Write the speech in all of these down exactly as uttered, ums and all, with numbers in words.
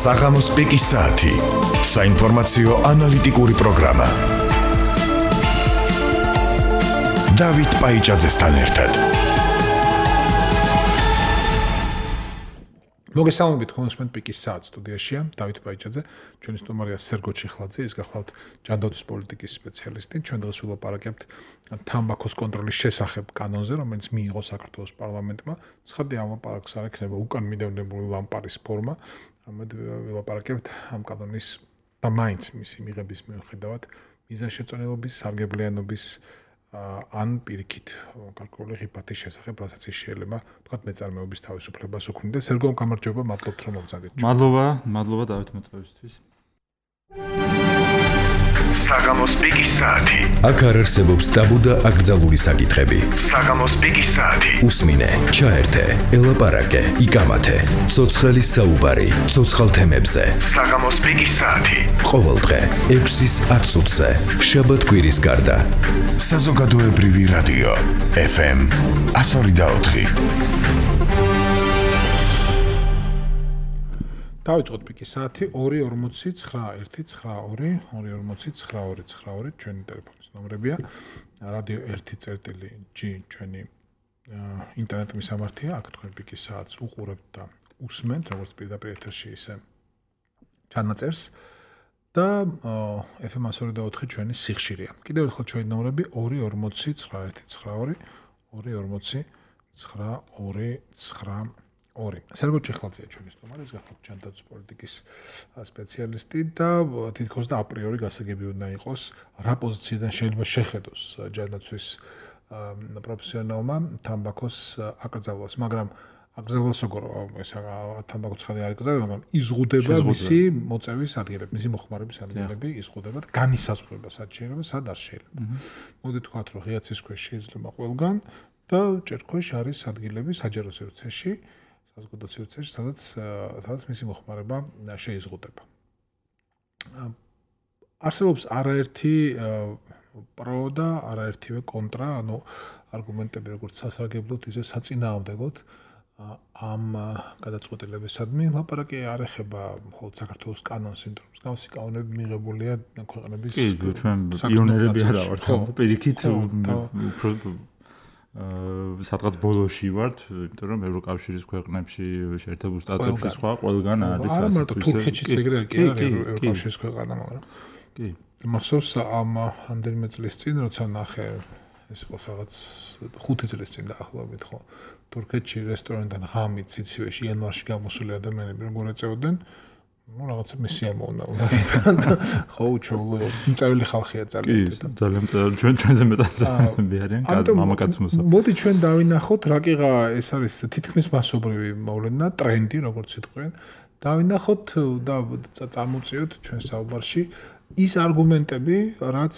საღამოს პიკის საათი. საინფორმაციო ანალიტიკური პროგრამა. დავით პაიჭაძესთან ერთად. მოგესალმებით კონსუმენტ პიკის საათს სტუდიაშია დავით პაიჭაძე, ჩვენი სტუმარია სერგო ჩიხლაძე, ის გახლავთ ჯანდაცვის პოლიტიკის სპეციალისტი. ჩვენ დღეს ვილაპარაკებთ თამბაქოს კონტროლის შესახებ კანონზე, რომელიც მიიღო საქართველოს პარლამენტმა. ცხადი ამ ლაპარაკს არ ექნება უკან მიდევნებული ლამპარის ფორმა, ამით ვილაპარაკებთ ამ კანონის და მაინც მისი მიღების მიუხედავად მიზანშეწონილობის, სარგებლიანობის ან პირიქით გარკვეული ღირფათის შესახებ, რასაც ის შეიძლება თქვათ მეწარმეობის თავისუფლებას უქმნიდა. სერგომ გამარჯობა, მადლობთ რომ მოგზადეთ. მადლობა, მადლობა დავით მოწვევისთვის. საღამოს პიკის საათი. აქ არ არსებობს ტაბუ და აკრძალული საკითხები. საღამოს პიკის საათი. უსმინე, ჩაერთე, ელაპარაკე, იკამათე. ცოცხალი საუბარი, ცოცხალ თემებზე. საღამოს პიკის საათი. ყოველდღე ექვსის ათ წუთზე, შაბათ-კვირის გარდა. საზოგადოებრივი რადიო ეფ ემ εκατო ორი და ოთხი. დავიწყოთ პიკის საათი ორი ორმოცი ცხრა ერთი ცხრა ორი ორი ორმოცი ცხრა ორი ცხრა ორი ჩვენი ტელეფონის ნომრებია. რადიო ერთი წერტილი ჯი ჩვენი ინტერნეტ მისამართია. აქ თქვენ პიკის საათს უყურებთ და უსმენთ, როგორც პირდაპირ ეთერში, ისე ჩანაწერს. და ეფ ემ εκατო ორი და ოთხი ჩვენი სიხშირეა. კიდევ ერთხელ ჩვენი ნომრები ორი ორმოცი ცხრა ერთი ცხრა ორი ორი ორმოცი ცხრა ორი ცხრა ორი. სერგო ჩიხლაძეა ჩვენი სტუმარი, ის გახლავთ ჯანდაცვის პოლიტიკის სპეციალისტი და თითქოს და აპრიორი გასაგები უნდა იყოს, რა პოზიციიდან შეიძლება შეხედოს ჯანდაცვის პროფესიონალმა თამბაქოს აკრძალვას, მაგრამ აკრძალვას როგორ ეს თამბაქო ცხადი არ იკრძალება, მაგრამ იზღუდება მისი მოწევის ადგილები, მისი მოხმარების ადგილები იზღუდება და განისაზღვრება სად შეიძლება, სად არ შეიძლება. მოდი თქვათ, რომ ღია ცისქვეშ შეიძლება ყველგან და ჭერქვეშ არის ადგილები საჯარო სივრცეში, საზოგადო სივრცეში, სადაც სადაც მისი მოხმარება შეიზღუდება. არსებობს არაერთი პრო და არაერთივე კონტრა, ანუ არგუმენტები როგორც სასარგებლოდ, ისე საწინააღმდეგოდ ამ გადაწყვეტილებისადმი. ლაპარაკი არ ეხება მხოლოდ საქართველოს კანონს, იმიტომ რომ მსგავსი კანონები მიღებულია ქვეყნების კი, ჩვენ პიონერები არა ვართ, პირიქით უფრო სადღაც ბოლოში ვართ, იმიტომ რომ ევროკავშირის ქვეყნებში შეერთებულ შტატებში სხვა ყველგან არის. არა მარტო თურქეთშიც ეგრე კი არის ევროკავშირის ქვეყანა, მაგრამ კი. მახსოვს ამ რამდენიმე წლის წინ, როცა ნახე ეს იყო რაღაც ხუთი წლის წინ დაახლოებით, ხო. თურქეთში რესტორანიდან ღამით სიცივეში იანვარში გამოსული ადამიანები როგორ ეწეოდნენ, ну რაღაცა მისია მოუნა უნდა და ხო უჩვეულო მწეველი ხალხია ძალიან. კი, ძალიან ჩვენ ჩვენზე მეტად არიან მამაკაცმოსა. მოდი ჩვენ დავინახოთ რა კიღა ეს არის თითქმის მასობრივი მოვლენა, ტრენდი როგორც იტყვიან. დავინახოთ და წარმოვწიოთ ჩვენ საუბარში ის არგუმენტები, რაც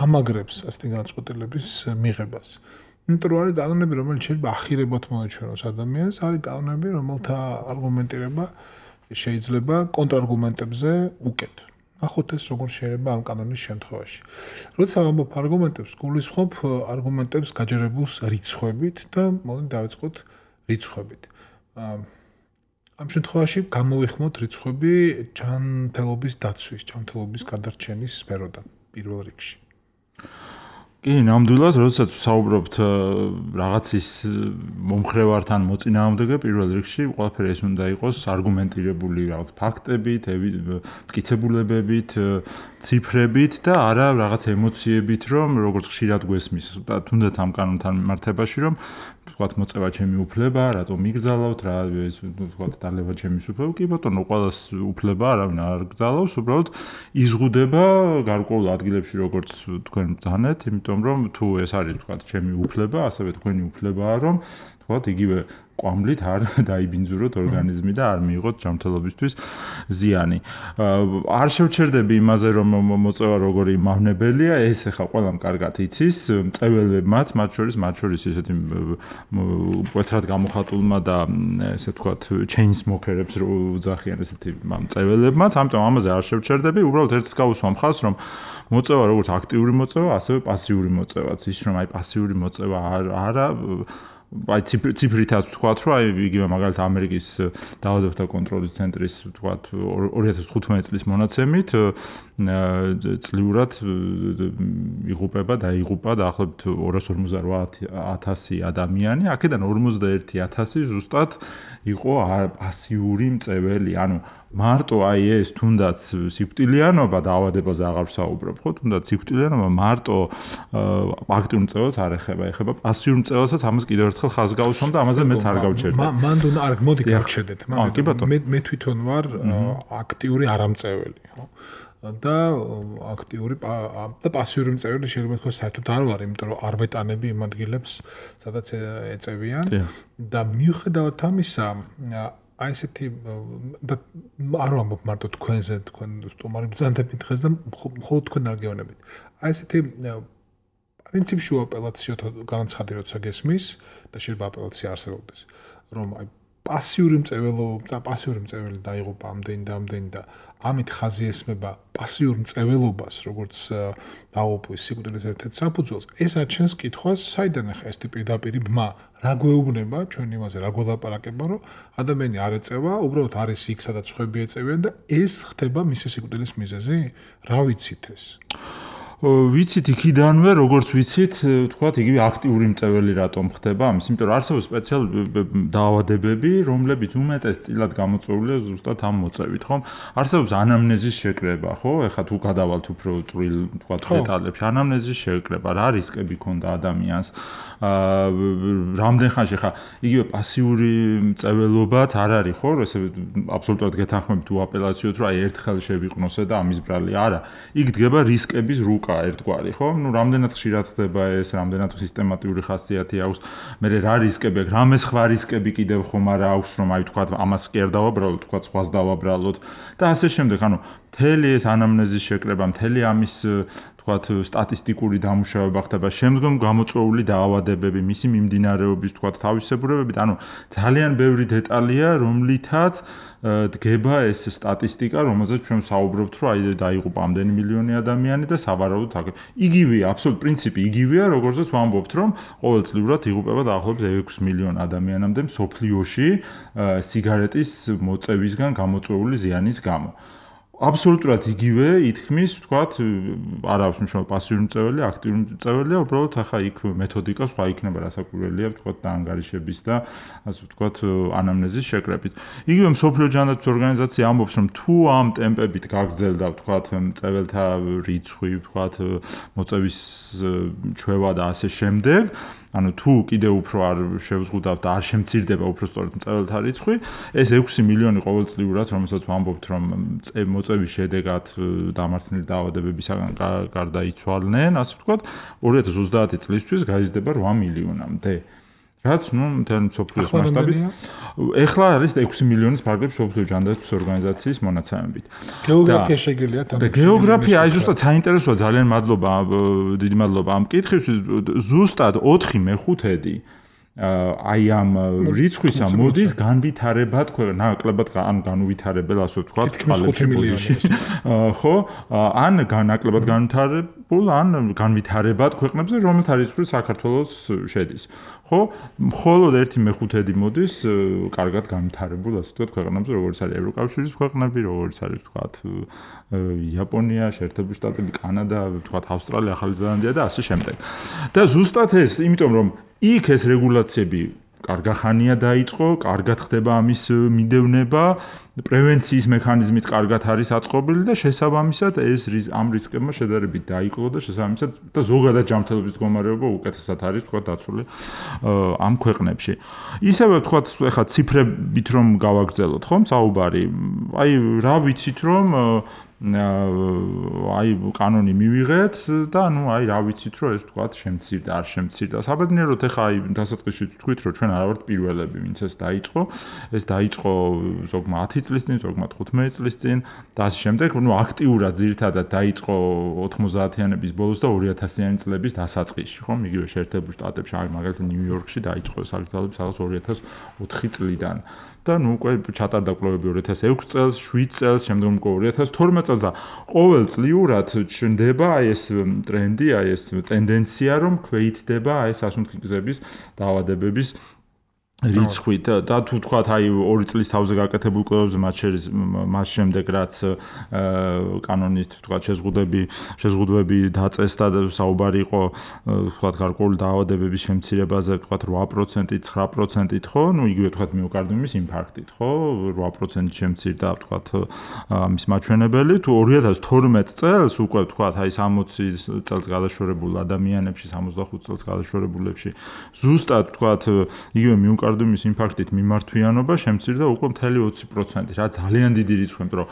ამაგრებს ასეთი განწყობილების მიღებას. იმიტომ რომ არის კანონები, რომელიც შეიძლება ახირებოდ მოეჩვენოს ადამიანს, არის კანონები, რომელთა არგუმენტირება შეიძლება კონტრარგუმენტებზე უკეთ. ნახოთ ეს როგორ შეიძლება ამ კანონის შემთხვევაში. როცა ვამბობ არგუმენტებს, გულისხმობ არგუმენტებს გაჯერებულს რიცხვებით და მოდი დავიწყოთ რიცხვებით. ამ შემთხვევაში გამოვიხმოთ რიცხვები ჯანმრთელობის დაცვის, ჯანმრთელობის გადარჩენის სფეროდან პირველ რიგში. კი, ნამდვილად, როდესაც ვსაუბრობთ რაღაცის მომხრევართან მოწინააღმდეგე, პირველ რიგში ყველაფერი ეს უნდა იყოს არგუმენტირებული რაღაც ფაქტებით, მტკიცებულებებით, ციფრებით და არა რაღაც ემოციებით, რომ როგორც ხშირად გვესმის, თუნდაც ამ კანონთან მიმართებაში, რომ თქვათ მოწევა ჩემი უფლება, რატომ იგზალავთ, რა ეს თქვათ დალევა ჩემი უფლება, კი ბატონო, ყველას უფლება არავინ არ გზალავს, უბრალოდ იზღუდება გარკვეულ ადგილებში, როგორც თქვენ ბრძანეთ, იმიტომ რომ თუ ეს არის თქვათ ჩემი უფლება, ასევე თქვენი უფლებაა, რომ თქვათ იგივე კვამლით არ დაიბინძუროთ ორგანიზმი და არ მიიღოთ ჯანმრთელობისთვის ზიანი. არ შევჩერდები იმაზე, რომ მოწევა როგორი მავნებელია, ეს ახლა ყველამ კარგად იცის, მწეველებმაც, მათ შორის, მათ შორის ესეთი მკვეთრად გამოხატულმა და ესე ვთქვათ, ჩეინსმოკერებს რო უძახიან ესეთი მწეველებმაც, ამიტომ ამაზე არ შევჩერდები, უბრალოდ ერთს გავუსვა მხარს, რომ მოწევა როგორც აქტიური მოწევა, ასევე პასიური მოწევაც, ის რომ აი პასიური მოწევა არა აი ციფრითაც ვთქვათ, რომ აი იგივე მაგალითად ამერიკის დაავადებათა კონტროლის ცენტრის ვთქვათ ორი ათას თხუთმეტი წლის მონაცემით წლიურად იღუპება და იღუპა დაახლოებით ორას ორმოცდაოთხ ათასი ადამიანი, აქედან ორმოცდაერთი ათასი ზუსტად იყო პასიური მწეველი, ანუ მარტო აი ეს თუნდაც სიკვდილიანობა დაავადებაზე აღარ ვსაუბრობ, ხო? თუნდაც სიკვდილიანობა მარტო აქტიურ მწველს არ ეხება, ეხება პასიურ მწველსაც, ამას კიდევ ერთხელ ხაზს გავუსვამ და ამაზე მეც არ გავჩერდე. მან უნდა არ მოდი გავჩერდეთ, მე მე თვითონ ვარ აქტიური არამწეველი, ხო? და აქტიური და პასიური მწეველი შეიძლება თქვა საერთოდ არ ვარ, იმიტომ რომ არ ვეტანები იმ ადგილებს, სადაც ეწევიან და მიუხედავად ამისა აი ესეთი და არ ვამბობ მარტო თქვენზე, თქვენ სტუმარი ბრძანდებით დღეს და მხოლოდ თქვენ არ გეუბნებით. აი ესეთი პრინციპში აპელაციო განაცხადი როცა გესმის და შეიძლება აპელაცია არსებობდეს, რომ აი პასიური მწველობა, პასიური მწველი დაიღუპა ამდენი და ამდენი და ამით ხაზი ესმება პასიურ მწველობას, როგორც დაუპვის სიკვდილის ერთ-ერთ საფუძველს. ეს აჩენს კითხვას, საიდან ახლა ეს პირდაპირ ბმა რა გვეუბნება ჩვენ იმაზე, რა გველაპარაკება, რომ ადამიანი არ ეწევა, უბრალოდ არის იქ, სადაც სხვები ეწევიან და ეს ხდება მისი სიკვდილის მიზეზი? რა ვიცით ეს? ვიცით იქიდანვე, როგორც ვიცით, თქვათ, იგივე აქტიური მწველი რატომ ხდება ამის, იმიტომ რომ არსებობს სპეციალური დაავადებები, რომლებიც უმეტესწილად გამოწვეულია ზუსტად ამ მოწევით, ხო? არსებობს ანამნეზის შეკრება, ხო? ეხლა თუ გადავალთ უფრო წვრილ, თქვათ, დეტალებში, ანამნეზის შეკრება, რა რისკები ქონდა ადამიანს, აა რამდენ ხანში ხა იგივე პასიური მწველობაც არ არის, ხო? ესე აბსოლუტურად გეთანხმებით თუ აპელაციოთ, რომ აი ერთხელ შევიყნოსე და ამის ბრალი არა. იქ დგება რისკების რუკა ერთგვარი, ხო? ნუ რამდენად ხშირად ხდება ეს, რამდენად სისტემატიური ხასიათი აქვს. მე რა რისკები აქვს, რამე სხვა რისკები კიდევ ხომ არა აქვს, რომ აი თქვა ამას კი არ დავაბრალოთ, თქვა სხვას დავაბრალოთ და ასე შემდეგ. ანუ მთელი ეს ანამნეზის შეკრება, მთელი ამის თქვათ სტატისტიკური დამუშავება ხდება, შემდგომ გამოწვეული დაავადებები, მისი მიმდინარეობის თქვათ თავისებურებებით, ანუ ძალიან ბევრი დეტალია, რომლითაც დგება ეს სტატისტიკა, რომელზეც ჩვენ საუბრობთ, რომ აი დაიღუპა ამდენი მილიონი ადამიანი და სავარაუდოდ აქ. იგივეა, აბსოლუტ პრინციპი იგივეა, როგორცაც ვამბობთ, რომ ყოველწლიურად იღუპება დაახლოებით ექვსი მილიონი ადამიანამდე მსოფლიოში სიგარეტის მოწევისგან გამოწვეული ზიანის გამო. აბსოლუტურად იგივე ითქმის, თქვათ, არ აქვს მნიშვნელობა პასიური მწველი, აქტიური მწველია, უბრალოდ ახლა იქ მეთოდიკა სხვა იქნება, რასაკვირველია, თქვათ, დაანგარიშების და ასე ვთქვათ, ანამნეზის შეკრებით. იგივე მსოფლიო ჯანდაცვის ორგანიზაცია ამბობს, რომ თუ ამ ტემპებით გაგრძელდა, ვთქვათ, მწველთა რიცხვი, ვთქვათ, მოწევის ჩვევა და ასე შემდეგ, ანუ თუ კიდევ უფრო არ შევზღუდავთ და არ შემცირდება უფრო სწორედ მწველთა რიცხვი, ეს ექვსი მილიონი ყოველწლიურად, რომელსაც ვამბობთ, რომ მოწევის შედეგად დამარცხებული დაავადებებისაგან გარდაიცვალნენ, ასე ვთქვათ, ორი ათას ოცდაათი წლისთვის გაიზრდება რვა მილიონამდე. რაც ნუ მთელი მსოფლიოს მასშტაბით ეხლა არის ექვსი მილიონის ფარგლებს მსოფლიო ჯანდაცვის ორგანიზაციის მონაცემებით. გეოგრაფია შეგიძლიათ ამ გეოგრაფია აი ზუსტად საინტერესოა, ძალიან მადლობა, დიდი მადლობა ამ კითხვისთვის. ზუსტად ოთხი მეხუთედი აი ამ რიცხვისა მოდის განვითარებად, ნაკლებად ან განუვითარებელ, ასე ვთქვათ, წყალებში. ხო? ან ნაკლებად განვითარებულ, ან განვითარებად ქვეყნებზე, რომელთა რიცხვი საქართველოს შედის. ხო? მხოლოდ ერთი მეხუთედი მოდის კარგად განვითარებულ, ასე ვთქვათ, ქვეყნებზე, როგორც არის ევროკავშირის ქვეყნები, როგორც არის, ვთქვათ, იაპონია, შეერთებული შტატები, კანადა, ვთქვათ, ავსტრალია, ახალი ზელანდია და ასე შემდეგ. და ზუსტად ეს, იმიტომ რომ იქ ეს რეგულაციები კარგახანია დაიწყო, კარგად ხდება ამის მიდევნება, პრევენციის მექანიზმით კარგად არის აწყობილი და შესაბამისად ეს ამ რისკებმა შედარებით დაიკლო და შესაბამისად და ზოგადად ჯანმრთელობის მდგომარეობა უკეთესად არის თქვა დაცული ამ ქვეყნებში. ისევე თქვა ეხლა ციფრებით რომ გავაგრძელოთ, ხომ, საუბარი. აი რა ვიცით რომ აი კანონი მივიღეთ და ნუ აი რა ვიცით რომ ეს თქვა შემცირდა, არ შემცირდა. საბედნიეროდ ეხლა აი დასაწყისში თქვით რომ ჩვენ არ ვართ პირველები, ვინც ეს დაიწყო. ეს დაიწყო ზოგმა ათი წლის წინ, ზოგმა თხუთმეტი წლის წინ და ასე შემდეგ. ნუ აქტიურად ძირითადად დაიწყო ოთხმოცდაათიანების ბოლოს და ორი ათასიანი წლების დასაწყისში, ხომ? იგივე შეერთებულ შტატებში, აი მაგალითად ნიუ-იორკში დაიწყო საგრძელება სადღაც ორი ათას ოთხი წლიდან. და ნუ უკვე ჩატარდა კვლევები ორი ათას ექვსი წელს, შვიდ წელს, შემდგომ უკვე ორი ათას თორმეტ წელს და ყოველწლიურად ციკლურად ჩნდება აი ეს ტრენდი, აი ეს ტენდენცია, რომ ქვეითდება აი ეს სასუნთქი გზების დაავადებების რიცხვით და თუ თქვათ აი ორი წლის თავზე გაკეთებულ კვლევებზე მათ შორის მას შემდეგ რაც კანონით თქვათ შეზღუდები შეზღუდვები დაწესდა და საუბარი იყო თქვათ გარკვეული დაავადებების შემცირებაზე თქვათ რვა პროცენტით ცხრა პროცენტით ხო ნუ იგივე თქვათ მიოკარდიუმის ინფარქტით ხო რვა პროცენტით შემცირდა თქვათ ამის მაჩვენებელი თუ ორი ათას თორმეტ წელს უკვე თქვათ აი სამოცი წელს გადაშორებულ ადამიანებში სამოცდახუთ წელს გადაშორებულებში ზუსტად თქვათ იგივე მიოკარდიუმის კარდიუმის ინფარქტით მიმართვიანობა შემცირდა უკვე მთელი ოცი პროცენტი, რა ძალიან დიდი რიცხვი, რომ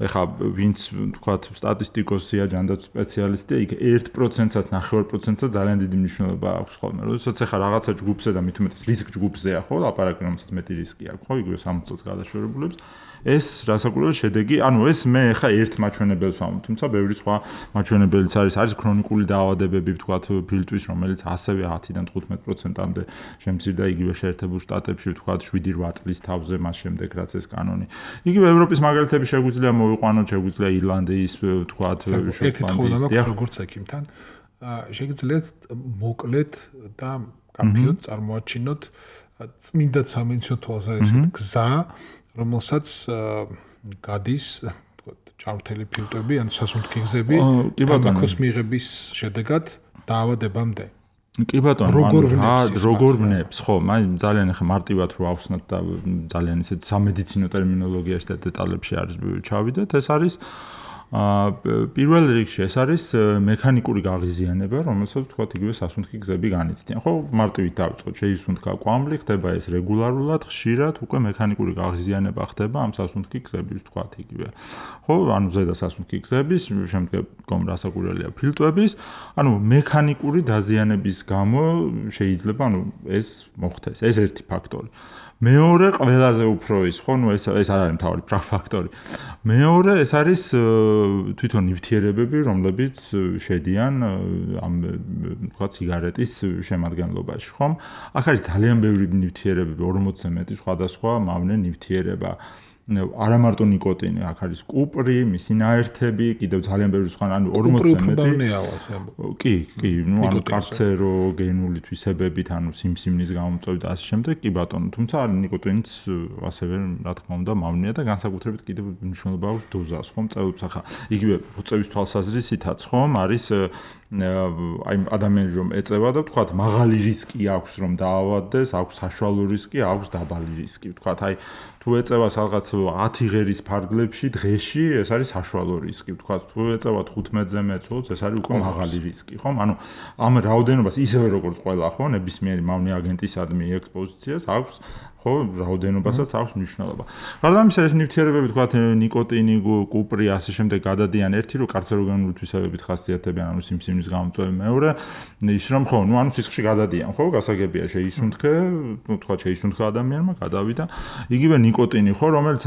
ეხა ვინც თქვათ სტატისტიკოსია, ჯანდაცვის სპეციალისტია, იქ ერთ პროცენტსაც, ნახევარ პროცენტსაც ძალიან დიდი მნიშვნელობა აქვს ხოლმე. როდესაც ეხა რაღაცა ჯგუფზე და მით უმეტეს რისკ ჯგუფზეა ხო, ლაპარაკი რომელსაც მეტი რისკი აქვს, ხო, იგივე სამოცი წელს გადაშორებულებს. ეს რასაკვირველია შედეგი, ანუ ეს მე ეხა ერთ მაჩვენებელს ვამბობ, თუმცა ბევრი სხვა მაჩვენებელიც არის, არის ქრონიკული დაავადებები, თქვათ ფილტვის, რომელიც ასევე ათიდან თხუთმეტ პროცენტამდე შემცირდა იგივე შეერთებულ შტატებში, თქვათ შვიდი რვა წლის თავზე მას შემდეგ რაც ეს კანონი. იგივე ევროპის მაგალითები შეგვიძლია მოვიყვანოთ, შეგვიძლია ირლანდიის, თქვათ შოტლანდიის, როგორც ექიმთან, შეგიძლიათ მოკლედ და კაფეოდ წარმოაჩინოთ წმინდა სამინისტროს თვალსა ესეთ გზა რომელსაც გადის თქვათ ჭარბთელი ფილტვები ან სასუნთქი გზები თამბაქოს მიღების შედეგად დაავადებამდე. კი ბატონო, როგორ როგორ ვნებს, ხო, მაინც ძალიან ახლა მარტივად რო ავხსნათ და ძალიან ისეთ სამედიცინო ტერმინოლოგიაში და დეტალებში არის ჩავიდეთ, ეს არის აა პირველ რიგში ეს არის მექანიკური გაღიზიანება, რომელსაც თქვათ იგივე სასუნთქი გზები განიცდიან. ხო, მარტივით დავიწყოთ, შეისუნთქა კვამლი, ხდება ეს რეგულარულად, ხშირად უკვე მექანიკური გაღიზიანება ხდება ამ სასუნთქი გზების, თქვათ იგივე. ხო, ანუ ზედა სასუნთქი გზების, შემდგომ რასაკვირველია ფილტვების, ანუ მექანიკური დაზიანების გამო შეიძლება ანუ ეს მოხდეს. ეს ერთი ფაქტორი. მეორე ყველაზე უფრო ის ხო ნუ ეს ეს არ არის მთავარი ფაქტორი. მეორე ეს არის თვითონ ნივთიერებები, რომლებიც შედიან ამ თქვა ციგარეტის შემადგენლობაში, ხომ? აქ არის ძალიან ბევრი ნივთიერებები, ორმოცზე მეტი სხვადასხვა მავნე ნივთიერება. არა მარტო ნიკოტინი, აქ არის კუპრი, მისი ნაერთები, კიდევ ძალიან ბევრი სხვა, ანუ ორმოცზე მეტი. კი, კი, ნუ ანუ კარცეროგენული თვისებებით, ანუ სიმსივნის გამომწვევი და ასე შემდეგ, კი ბატონო, თუმცა ნიკოტინიც ასევე რა თქმა უნდა მავნეა და განსაკუთრებით კიდევ მნიშვნელობა აქვს დოზას, ხომ? წელს ახლა იგივე უწევის თვალსაზრისითაც, ხომ, არის აი ადამიანი რომ ეწევა და თქვათ მაღალი რისკი აქვს რომ დაავადდეს, აქვს საშუალო რისკი, აქვს დაბალი რისკი, თქვათ აი თუ ეწევა რაღაც ათი ღერის ფარგლებში დღეში ეს არის საშუალო რისკი, თქვათ თუ ეწევა თხუთმეტზე მეცოლს ეს არის უკვე მაღალი რისკი, ხომ? ანუ ამ რაოდენობას ისევე როგორც ყველა ხო, ნებისმიერი მავნე აგენტისადმი ექსპოზიციას აქვს ხო, რაოდენობასაც აქვს მნიშვნელობა. გარდა ამისა ეს ნივთიერებები თქვათ ნიკოტინი, კუპრი, ასე შემდეგ გადადიან ერთი რომ კარცეროგენული თვისებებით ხასიათდებიან, ანუ სიმსივნის გამომწვევი მეორე, ის რომ ხო, ნუ ანუ სისხლში გადადიან, ხო, გასაგებია შეისუნთქე, ნუ თქვათ შეისუნთქა ადამიანმა, გადავიდა. იგივე ნიკოტინი ხო, რომელიც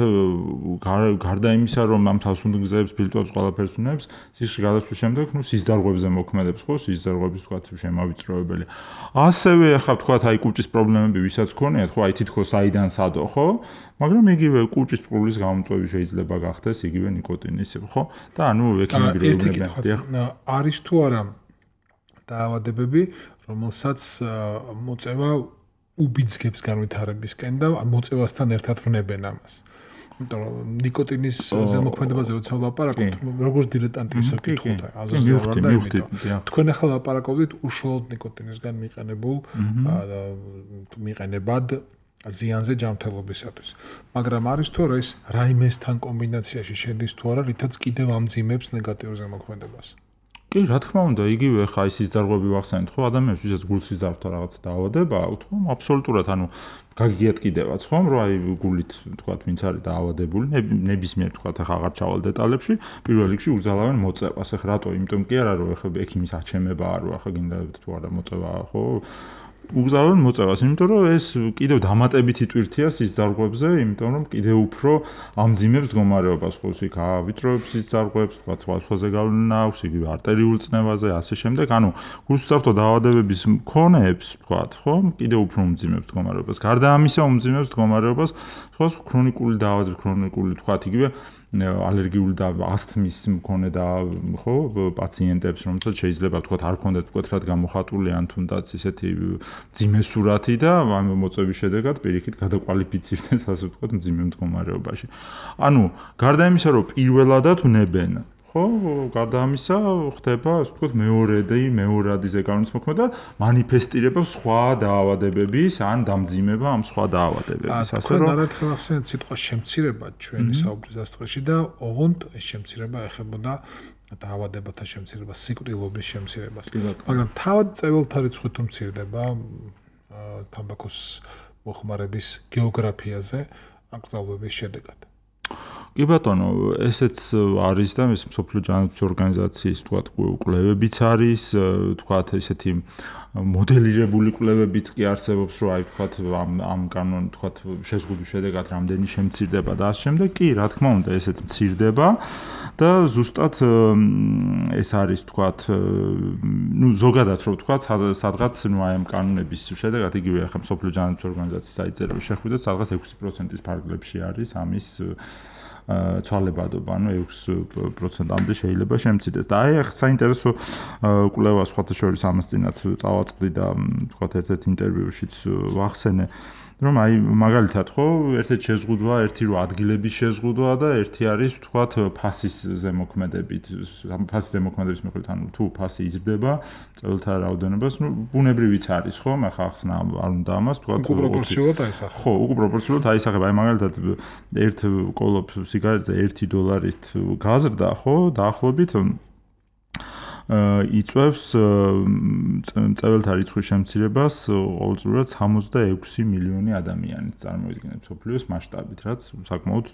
გარდა იმისა რომ ამ სასუნთქგზებს, ფილტვებს ყველაფერს უნებს, სისხლში გადასვლის შემდეგ, ნუ სისხლძარღვებზე მოქმედებს, ხო, სისხლძარღვების თქვათ შემავიწროებელი. ასევე ახლა თქვათ აი კუჭის პრობლემები ვისაც ქონიათ, ხო, აი თითქოს საიდან სადო, ხო? მაგრამ იგივე კუჭის წყურის გამომწვევი შეიძლება გახდეს იგივე ნიკოტინის, ხო? და ანუ ექიმები რეგულირებენ. არის თუ არა დაავადებები, რომელსაც მოწევა უბიძგებს განვითარებისკენ და მოწევასთან ერთად ვნებენ ამას. იმიტომ რომ ნიკოტინის ზემოქმედებაზე როცა ვლაპარაკობთ, როგორც დილეტანტი ისე ვკითხოთ, აზრზე ვარ და იმიტომ. თქვენ ახლა ლაპარაკობდით უშუალოდ ნიკოტინისგან მიყენებულ მიყენებად ზიანზე ჯანმრთელობისათვის. მაგრამ არის თუ არა ეს რაიმესთან კომბინაციაში შედის თუ არა, რითაც კიდევ ამძიმებს ნეგატიურ ზემოქმედებას. კი, რა თქმა უნდა, იგივე ხა ის სიზარღვები ვახსენეთ, ხო, ადამიანს ვისაც გულსიზარღვთა რაღაც დაავადება აქვს, ხო, აბსოლუტურად, ანუ გაგიგიათ კიდევაც, ხო, რომ აი გულით, თქვათ, ვინც არის დაავადებული, ნებისმიერ, თქვათ, ახლა აღარ ჩავალ დეტალებში, პირველ რიგში უგზავნიან მოწევას. ახლა რატო? იმიტომ კი არა, რომ ახლა ექიმის აჩემება არ ვარ, ახლა გინდა თუ არა მოწევა, ხო? უგზავნიან მოწევას, იმიტომ რომ ეს კიდევ დამატებითი ტვირთია სისხლძარღვებზე, იმიტომ რომ კიდევ უფრო ამძიმებს მდგომარეობას, ხო, იქ ავიწროებს სისხლძარღვებს, თქვა სხვა სხვაზე გავლენა აქვს, იგივე არტერიულ წნევაზე, ასე შემდეგ, ანუ გულსუსტო დაავადებების მქონეებს, თქვა, ხო, კიდევ უფრო უმძიმებს მდგომარეობას. გარდა ამისა, უმძიმებს მდგომარეობას სხვა ქრონიკული დაავადებები, ქრონიკული, თქვა, იგივე ალერგიული და ასთმის მქონე და ხო პაციენტებს რომელსაც შეიძლება თქვა არ ქონდეთ მკვეთრად გამოხატული ან თუნდაც ისეთი მძიმე სურათი და ამ მოწვევის შედეგად პირიქით გადაკვალიფიცირდნენ ასე ვთქვათ მძიმე მდგომარეობაში. ანუ გარდა იმისა რომ პირველადად ვნებენ ხო, გარდა ამისა ხდება, ასე ვთქვათ, მეორედი, მეორადი ზეგავლენის მოქმედება და მანიფესტირება სხვა დაავადებების ან დამძიმება ამ სხვა დაავადებების. ასე რომ არაერთხელ ახსენეთ სიტყვა შემცირება ჩვენი საუბრის დასაწყისში და ოღონდ ეს შემცირება ეხებოდა დაავადებათა შემცირებას, სიკვდილობის შემცირებას. მაგრამ თავად წეველთა რიცხვით მცირდება თამბაქოს მოხმარების გეოგრაფიაზე აკრძალვების შედეგად. კი ბატონო, ესეც არის და ეს მსოფლიო ჯანმრთელობის ორგანიზაციის თქვათ კვლევებიც არის, თქვათ ესეთი მოდელირებული კვლევებიც კი არსებობს, რომ აი თქვათ ამ ამ კანონ თქვათ შეზღუდვის შედეგად რამდენი შემცირდება და ამ შემდეგ კი, რა თქმა უნდა, ესეც მცირდება და ზუსტად ეს არის თქვათ, ну ზოგადად რომ თქვათ, სადღაც ну აი ამ კანონების შედეგად იგივე ახლა მსოფლიო ჯანმრთელობის ორგანიზაციის საიტზე შეხვიდეთ, სადღაც ექვსი პროცენტის ფარგლებში არის ამის ცვალებადობა, ანუ ექვსი პროცენტამდე შეიძლება შემცირდეს. და აი ახლა საინტერესო კვლევა სხვათა შორის ამას წინათ წავაწყდი და თქვათ ერთ-ერთ ინტერვიუშიც ვახსენე, რომ აი მაგალითად ხო, ერთ-ერთი შეზღუდვა, ერთი რო ადგილების შეზღუდვა და ერთი არის თქვათ ფასის ზემოქმედებით, ფასის ზემოქმედების მიხედვით, ანუ თუ ფასი იზრდება, წეველთა რაოდენობას, ну ბუნებრივიც არის ხო, მე ხა ახსნა არ უნდა ამას, თქვათ უპროპორციულად აისახება. ხო, უპროპორციულად აისახება. აი მაგალითად ერთ კოლოფ სიგარეტზე ერთი დოლარით გაზრდა, ხო, დაახლოებით იწვევს წეველთა რიცხვის შემცირებას ყოველწლიურად სამოცდაექვსი მილიონი ადამიანი წარმოიდგინეთ მსოფლიოს მასშტაბით, რაც საკმაოდ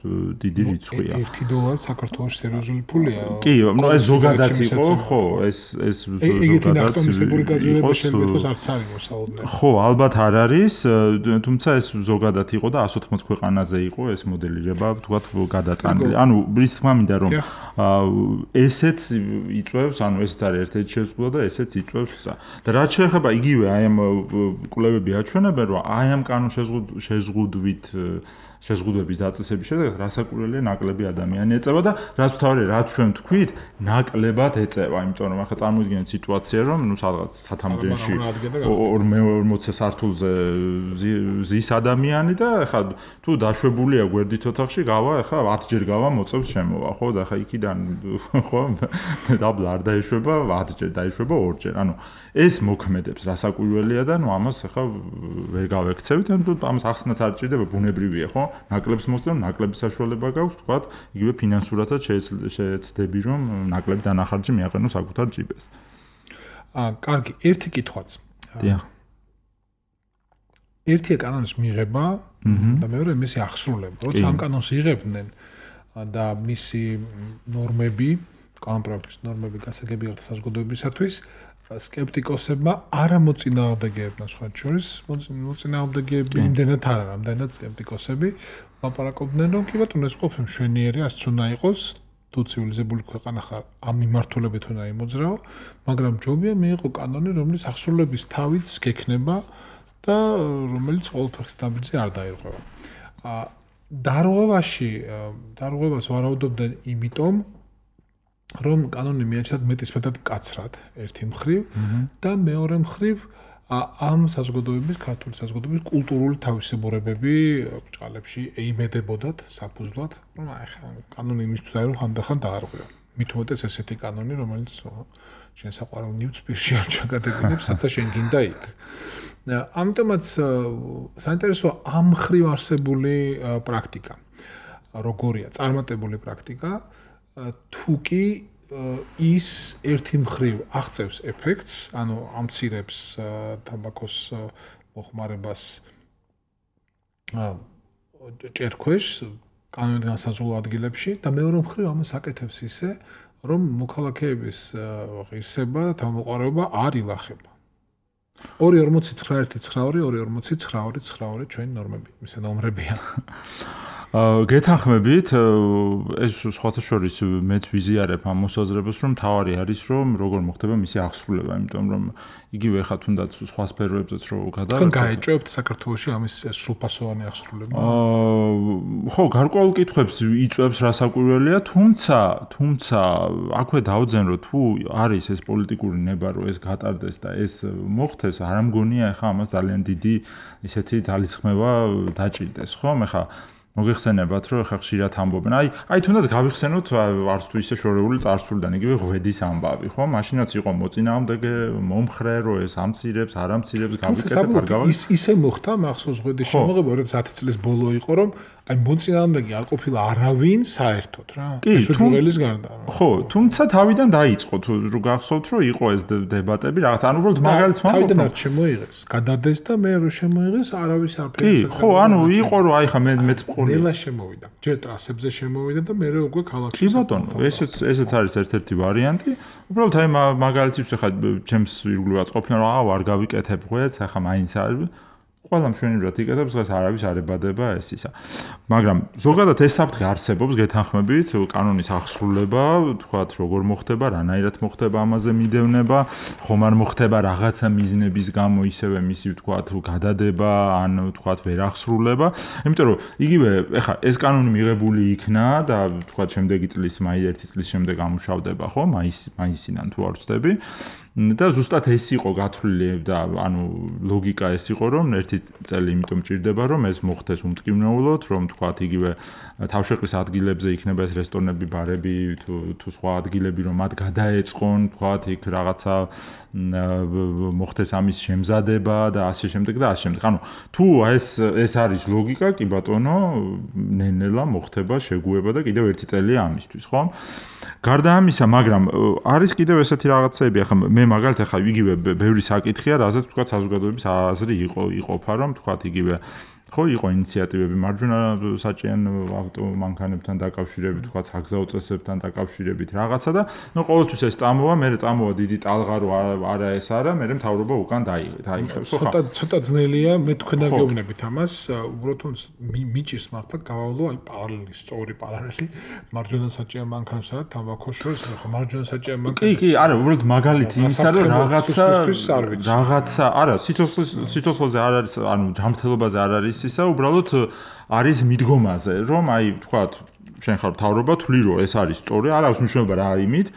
დიდი რიცხვია. ერთი დოლარი საქართველოს სერიოზული ფულია. კი, ну ეს ზოგადად იყო, ხო, ეს ეს ზოგადად ეგეთი ნახტომისებური გაძვირება შეიძლება იყოს არც არის მოსაოდნელი. ხო, ალბათ არ არის, თუმცა ეს ზოგადად იყო და εκατს ოთხმოცდაათი ქვეყანაზე იყო ეს მოდელირება, თქვათ, გადატანილი. ანუ ის თქმა მინდა რომ ესეც იწვევს, ანუ ეს არის ერთ-ერთი შეზღუდვა და ესეც იწვევს და რაც შეეხება იგივე აი ამ კვლევები აჩვენებენ რომ აი ამ კანონ შეზღუდვით შეზღუდვების დაწესების შედეგად რასაკვირველია ნაკლები ადამიანი ეწევა და რაც თავი რაც ჩვენ თქვით ნაკლებად ეწევა, იმიტომ რომ ახლა წარმოიდგინეთ სიტუაცია რომ ნუ სადღაც სათამბჯენში ორმოცდაათი სართულზე ზის ადამიანი და ახლა თუ დაშვებულია გვერდით ოთახში გავა ახლა ათჯერ გავა მოწევს შემოვა ხო და ახლა იქიდან ხო დაბლა არ დაეშვება ათჯერ დაეშვება ორჯერ. ანუ ეს მოქმედებს რასაკვირველია და ნუ ამას ახლა ვერ გავექცევით, ანუ ამას ახსნაც არ ჭირდება, ბუნებრივია ხო? ნაკლებს მოსწრონ, ნაკლების საშუალება გაქვს, თქვათ, იგივე ფინანსურადაც შეეცდები, რომ ნაკლები დანახარჯი მიაყენო საკუთარ ჯიბეს. აა, კარგი, ერთი კითხვაც. დიახ. ერთია კანონის მიღება და მეორე მისი აღსრულება. როცა ამ კანონს იღებდნენ და მისი ნორმები, კანონპროექტის ნორმები გასაგები გახდა საზოგადოებისათვის, სკეპტიკოსებმა არ ამოწინააღმდეგეებდნენ სხვა შორის, მოწინააღმდეგეები იმდენად არ არა, ამდენად სკეპტიკოსები ლაპარაკობდნენ, რომ კი ბატონო ეს ყოფილი მშვენიერი, ასე უნდა იყოს, თუ ცივილიზებული ქვეყანა ხარ, ამ მიმართულებით უნდა იმოძრაო, მაგრამ ჯობია მიიღო კანონი, რომლის აღსრულების თავიც გექნება და რომელიც ყოველთვის დაბრძი არ დაირღვევა. აა დარღვევაში, დარღვევას ვარაუდობდნენ იმიტომ რომ კანონი მიაჩნდათ მეტისმეტად მკაცრად ერთი მხრივ და მეორე მხრივ ამ საზოგადოების, ქართული საზოგადოების კულტურული თავისებურებები ბრჭყალებში ეიმედებოდათ საფუძვლად, რომ აი ხა კანონი იმისთვის არის, რომ ხანდახან დაარღვევა. მით უმეტეს ესეთი კანონი, რომელიც შენ საყვარელ ნივთსპირში არ ჩაგადებინებს, სადაც შენ გინდა იქ. ამიტომაც საინტერესოა ამ მხრივ არსებული პრაქტიკა. როგორია წარმატებული პრაქტიკა? თუ კი ის ერთი მხრივ აღწევს ეფექტს, ანუ ამცირებს თამბაქოს მოხმარებას ჭერქვეშ კანონით განსაზღვრულ ადგილებში და მეორე მხრივ ამას აკეთებს ისე, რომ მოქალაქეების ღირსება და თავმოყრება არ ილახება. ორი ორმოცი ცხრა ერთი ცხრა ორი ორი ორმოცი ცხრა ორი ცხრა ორი ჩვენი ნორმები, მისი ნომრებია. გეთანხმებით, ეს სხვათა შორის მეც ვიზიარებ ამ მოსაზრებას, რომ თავარი არის, რომ როგორ მოხდება მისი აღსრულება, იმიტომ რომ იგივე ხა თუნდაც სხვა სფეროებზეც რო გადავარდეთ. თქვენ გაეჭვებთ საქართველოში ამის სრულფასოვანი აღსრულება? აა ხო, გარკვეულ კითხვებს იწვევს რა საკვირველია, თუმცა, თუმცა აქვე დავძენრო თუ არის ეს პოლიტიკური ნება, რომ ეს გატარდეს და ეს მოხდეს, არ ამგონია ხა ამას ძალიან დიდი ისეთი ძალისხმევა დაჭირდეს, ხო? მე ხა მოგეხსენებათ, რომ ხა ხშირად ამბობენ. აი, აი თუნდაც გავიხსენოთ არც თუ ისე შორეული წარსულიდან, იგივე ღვედის ამბავი, ხო? მაშინაც იყო მოწინააღმდეგე, მომხრე, რომ ეს ამცირებს, არ ამცირებს, გავიკეთებ, არ გავაკეთებ. ის ისე მოხდა მახსოვს ღვედის შემოღება, როცა ათი წლის ბოლო იყო, რომ აი მოწინააღმდეგე არ ყოფილა არავინ საერთოდ რა. ეს უძველეს გარდა. ხო, თუმცა თავიდან დაიწყო, თუ გახსოვთ, რომ იყო ეს დებატები, რაღაც ანუ უბრალოდ მაგალითს ვამბობ. თავიდან არ შემოიღეს, გადადეს და მე რო შემოიღეს, არავის არაფერი. კი, ხო, ანუ იყო რომ აი ხა მე მეც ნელა შემოვიდა. ჯერ ტრასებზე შემოვიდა და მე უკვე ქალაქში. კი ბატონო, ესეც ესეც არის ერთ-ერთი ვარიანტი. უბრალოდ აი მაგალითის ხა ჩემს ირგვლივაც ყოფილა რომ აა არ გავიკეთებ ღვეც, ახლა მაინც არის ყველა მშვენივრად იკეთებს, დღეს არავის არ ებადება ეს ისა. მაგრამ ზოგადად ეს საფრთხე არსებობს გეთანხმებით, კანონის აღსრულება, თქვათ როგორ მოხდება, რანაირად მოხდება ამაზე მიდევნება, ხომ არ მოხდება რაღაცა მიზნების გამო ისევე მისი თქვათ გადადება, ან თქვათ ვერ აღსრულება. იმიტომ რომ იგივე ეხა ეს კანონი მიღებული იქნა და თქვათ შემდეგი წლის მაი ერთი წლის შემდეგ ამუშავდება, ხო? მაის მაისიდან თუ არ ვცდები. და ზუსტად ეს იყო გათვლილი და ანუ ლოგიკა ეს იყო რომ ერთი წელი იმიტომ ჭირდება რომ ეს მოხდეს უმტკივნეულოდ რომ თქვათ იგივე თავშეყრის ადგილებზე იქნება ეს რესტორნები, ბარები თუ თუ სხვა ადგილები რომ მათ გადაეწყონ თქვათ იქ რაღაცა მოხდეს ამის შემზადება და ასე შემდეგ და ასე შემდეგ. ანუ თუ ეს ეს არის ლოგიკა, კი ბატონო, ნენელა მოხდება შეგუება და კიდევ ერთი წელია ამისთვის, ხო? გარდა ამისა, მაგრამ არის კიდევ ესეთი რაღაცები, ახლა მე მაგალითად ახლა იგივე ბევრი საკითხია, რაზეც თქვა საზოგადოების აზრი იყო იყოფა, რომ თქვა იგივე ხო იყო ინიციატივები მარჯვენა საჭიენ ავტომანქანებთან დაკავშირებით, თქვა საგზაო წესებთან დაკავშირებით რაღაცა და ნუ ყოველთვის ეს წამოვა, მე წამოვა დიდი ტალღა რო არა ეს არა, მე მთავრობა უკან დაიხევს. ცოტა ცოტა ძნელია, მე თქვენ აგეუბნებით ამას, უბრალოდ მიჭირს მართლა გავავლო აი პარალელი, სწორი პარალელი მარჯვენა საჭიენ მანქანებსა და თამბაქოს შორის, ხო მარჯვენა საჭიენ მანქანებს. კი, კი, არა, უბრალოდ მაგალითი იმისა, რომ რაღაცა რაღაცა, არა, სიცოცხლის სიცოცხლეზე არ არის, ანუ ჯანმრთელობაზე არ არის ისა უბრალოდ არის მიდგომაზე რომ აი თქვათ შენ ხარ მთავრობა თვლი რომ ეს არის სწორი არ აქვს მნიშვნელობა რა იმით